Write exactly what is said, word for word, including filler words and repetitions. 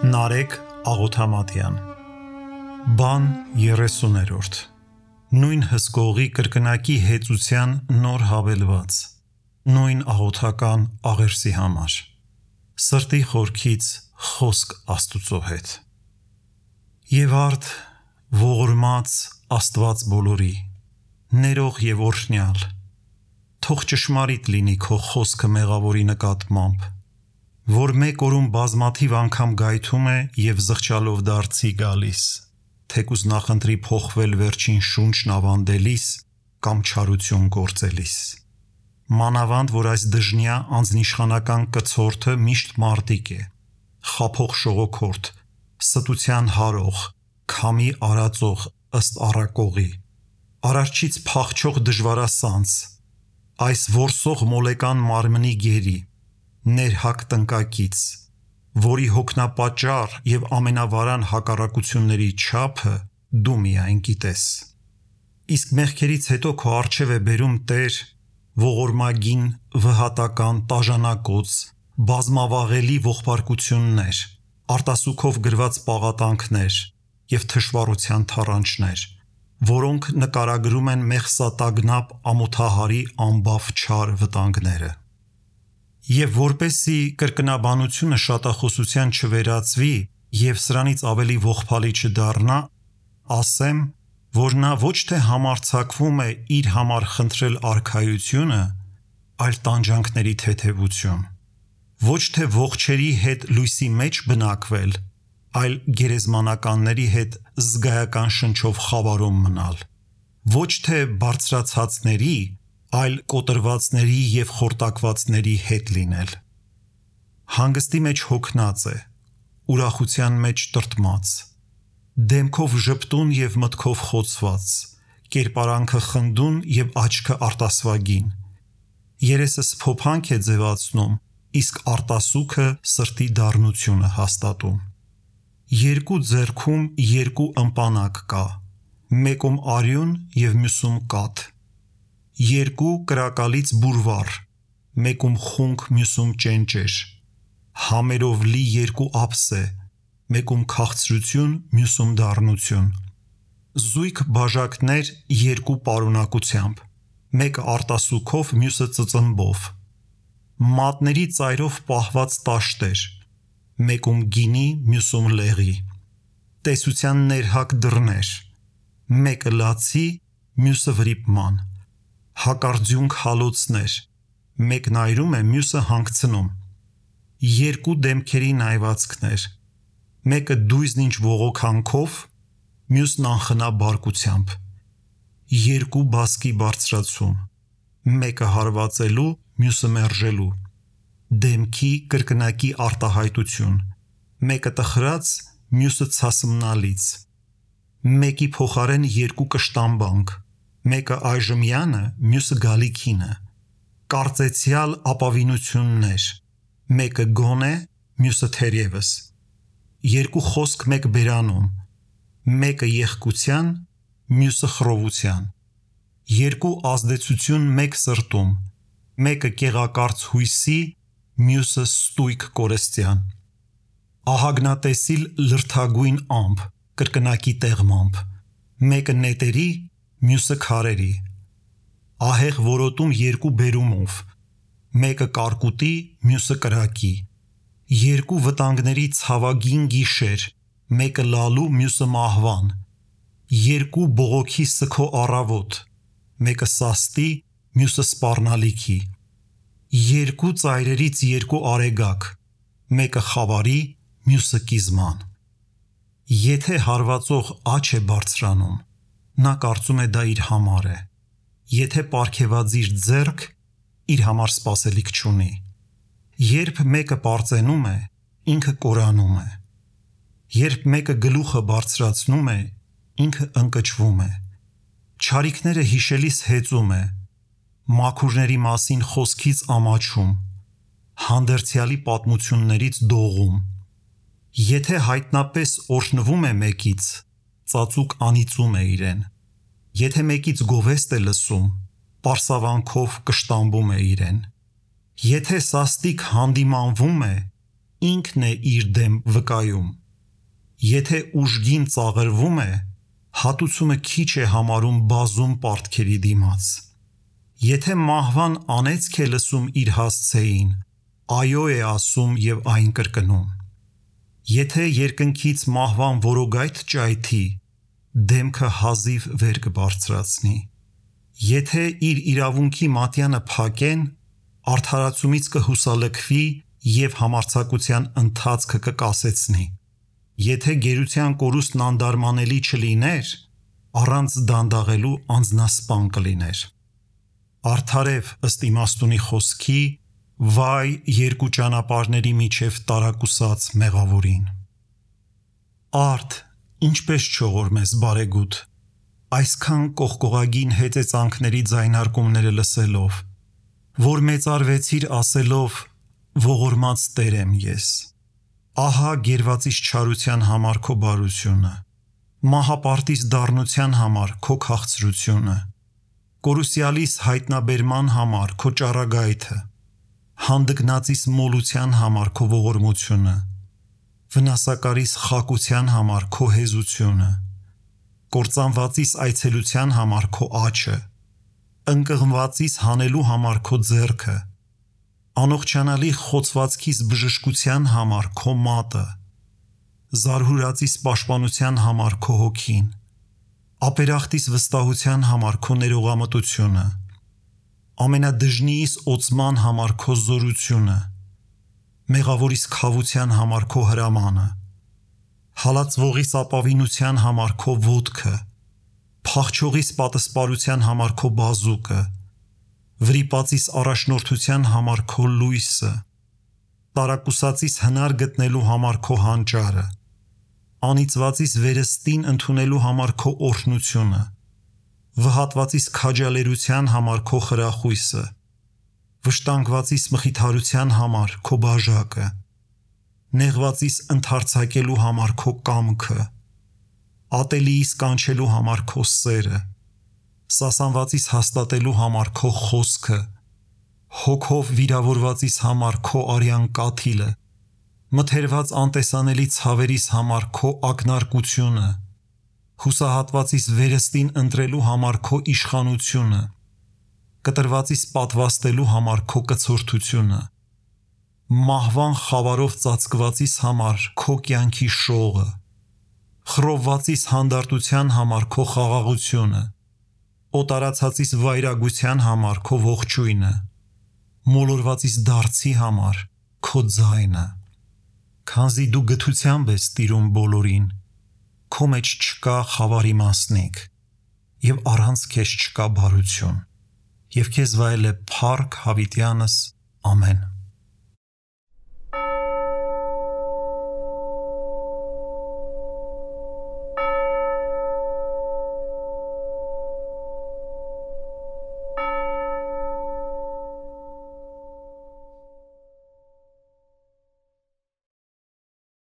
Նարեկ Աղոթամատյան Բան երեսուներորդ Նույն հսկողի կրկնակի հեծության նոր հավելված Նույն աղոթական աղերսի համար Սրտի խորքից խոսք Աստուծո հետ Եվ արդ ողորմած Աստված բոլորի ներող եւ օրհնյալ Թող ճշմարիտ լինի քո խոսքը մեղավորի նկատմամբ որ մեկ օրում բազմաթիվ անգամ գայթում է եւ զղջալով դարձի գալիս թեկուզ նախընտրի փոխվել վերջին շունչն ավանդելիս կամ չարություն գործելիս մանավանդ որ այս դժնյա անձնիշխանական կցորդը միշտ մարտիկ է խափող շողոքորթ ստության հարող քամի արածող ըստ առակողի արարչից փախչող դժվարասանց այս որսող մոլեկան մարմնի գերի ներհակ տնկակից, որի հոգնապաճառ եւ ամենավարան հակառակությունների չափը դու միայն գիտես։ Իսկ մեղքերից հետո քո առջև է բերում Տեր ողորմագին, վհատական, տաժանակոց, բազմավաղելի ողբարկություններ, արտասուքով գրված պաղատանքներ եւ թշվառության թառանչներ, որոնք նկարագրում են մեղսատագնապ ամոթահարի անբավ չար վտանգները։ Եվ որպեսի կրկնաբանությունը շատախոսության չվերածվի եւ սրանից ավելի ողբալի չդառնա, ասեմ, որ նա ոչ թե համարձակվում է իր համար խնդրել արքայությունը, այլ տանջանքների թեթևություն, ոչ թե ողջերի հետ լույսի մեջ բնակվել, այլ գերեզմանականների հետ զգայական շնչով խավարում մնալ, ոչ թե բարձրացածների, այլ կոտրվածների եւ խորտակվածների հետ լինել։ Հանգստի մեջ հոգնած է, ուրախության մեջ տրտմած, դեմքով ժպտուն եւ մտքով խոցված, կերպարանքը խնդուն եւ աչքը արտասվագին։ Երեսը սփոփանք է ձևացնում, իսկ արտասուքը սրտի դառնությունը հաստատում։ Երկու ձեռքում երկու ըմպանակ կա, մեկում արյուն եւ մյուսում կաթ։ Երկու կրակալից բուրվար, մեկում խունկ, մյուսում ճենճեր, համերով լի երկու ափսե, մեկում քաղցրություն, մյուսում դառնություն, զույգ բաժակներ երկու պարունակությամբ, մեկը արտասուքով, մյուսը ծծմբով, մատների ծայրով պահված տաշտեր, մեկում գինի, մյուսում լեղի, տեսության ներհակ դռներ, մեկը լացի, մյուսը վրիպման, հակարձյունք հալոցներ, մեկն այրում է, մյուսը հանգցնում, երկու դեմքերի նայվածքներ, մեկը դույզնինչ ողոքանքով, մյուսն անխնա բարկությամբ, երկու բասկի բարձրացում, մեկը հարվածելու, մյուսը մերժելու, դեմքի կրկնակի արտահայտություն, մեկը տխրած, մյուսը ցասմնալից, մեկի փոխարեն երկու կշտամբանք, մեկը այժմյանը, մյուսը գալիքինը, կարծեցյալ ապավինություններ, մեկը գոնե, մյուսը թերևս, երկու խոսք մեկ բերանում, մեկը եղկության, մյուսը խռովության, երկու ազդեցություն մեկ սրտում, մեկը կեղակարծ հույսի, մյուսը ստույգ կորստյան, ահագնատեսիլ լրթագույն ամպ, կրկնակի տեղմամբ, մեկը նետերի, մյուսը քարերի, ահեղ որոտում երկու բերումով, մեկը կարկուտի, մյուսը կրակի, երկու վտանգների ցավագին գիշեր, մեկը լալու, մյուսը մահվան, երկու բողոքի սգո առավոտ, մեկը սաստի, մյուսը սպառնալիքի, երկու ծայրերից երկու արեգակ, մեկը խավարի, մյուսը կիզման։ Եթե հարվածող աչ է բարձրանում, նա կարծում է դա իր համար է, եթե պարգևածիր ձեռք, իր համար սպասելիք չունի, երբ մեկը պարծենում է, ինքը կորանում է, երբ մեկը գլուխը բարձրացնում է, ինքը ընկճվում է, չարիքները հիշելիս հեծում է, մաքուրների մասին խոսքից ամաչում, հանդերձյալի պատմություններից դողում, եթե հայտնապես օրհնվում է մեկից, ծածուկ անիծում է իրեն, եթե մեկից գովեստ է լսում, պարսավանքով կշտամբում է իրեն, եթե սաստիկ հանդիմանվում է, ինքն է իր դեմ վկայում։ Եթե ուժգին ծաղրվում է, հատուցումը քիչ է համարում բազում պարտքերի դիմաց։ Եթե մահվան անեծք է լսում իր հասցեին, այո է ասում և այն կրկնում։ Եթե երկնքից մահվան որոգայթ ճայթի, դեմքը հազիվ վեր կբարձրացնի։ Եթե իր իրավունքի մատյանը փակեն, արդարացումից կհուսալքվի և համարձակության ընթացքը կկասեցնի։ Եթե գերության կորուստն անդարմանելի չլիներ, առանց դանդաղելու անձնասպան կլիներ։ Արդարև ըստ իմաստունի խոսքի, վայ երկու ճանապարհների միջև տարակուսած մեղավորին։ Արդ, ինչպես չողորմես բարեգութ, այսքան կողկողագին հեծեծանքների ձայնարկումները լսելով, որ մեծարվեցիր ասելով, ողորմած Տեր եմ ես։ Ահա գերվածիս չարության համար քո բարությունը, մահապարտիս դառնության համար քո քաղցրությունը, կորուսյալիս հայտնաբերման համար քո ճառագայթը, հանդգնածիս մոլության համար քո ողորմությունը, վնասակարիս խակության համար քո հեզությունը, կործանվածիս այցելության համար քո աջը, ընկղմվածիս հանելու համար քո ձեռքը, անողջանալի խոցվածքիս բժշկության համար քո մատը, զարհուրածիս պաշտպանության համար քո հոգին, ապերախտիս վստահության համար քո ներողամտությունը, ամենադժնիիս օծման համար քո զորությունը, մեղավորիս քավության համար քո հրամանը, հալածվողիս ապավինության համար քո ոտքը, փախչողիս պատսպարության համար քո բազուկը, վրիպածիս առաջնորդության համար քո լույսը, տարակուսածիս հնար գտնելու համար քո հանճարը, անիծվածիս վերստին ընդունելու համար քո օրհնությունը, վհատվածիս քաջալերության համար քո խրախույսը, վշտանգվածիս մխիթարության համար քո բաժակը, նեղվածիս ընդարձակելու համար քո կամքը, ատելիիս կանչելու համար քո սերը, սասանվածիս հաստատելու համար քո խոսքը, հոգով վիրավորվածիս համար քո արյան կաթիլը, մթերված անտեսանելի ցավերիս համար քո ակնարկությունը, հուսահատվածիս վերստին ընտրելու համար քո իշխանությունը, կտրվածիս պատվաստելու համար քո կցորդությունը, մահվան խավարով ծածկվածիս համար քո կյանքի շողը, խռովվածիս հանդարտության համար քո խաղաղությունը, օտարացածիս վայրագության համար քո ողջույնը, մոլորվածիս դարձի համար քո ձայնը։ Քանզի դու գթությամբ ես տիրում բոլորին, քո մեջ չկա խավարի մասնիկ, և առանց քեզ չկա բարություն, և քեզ վայել է փառք հավիտյանս, ամեն։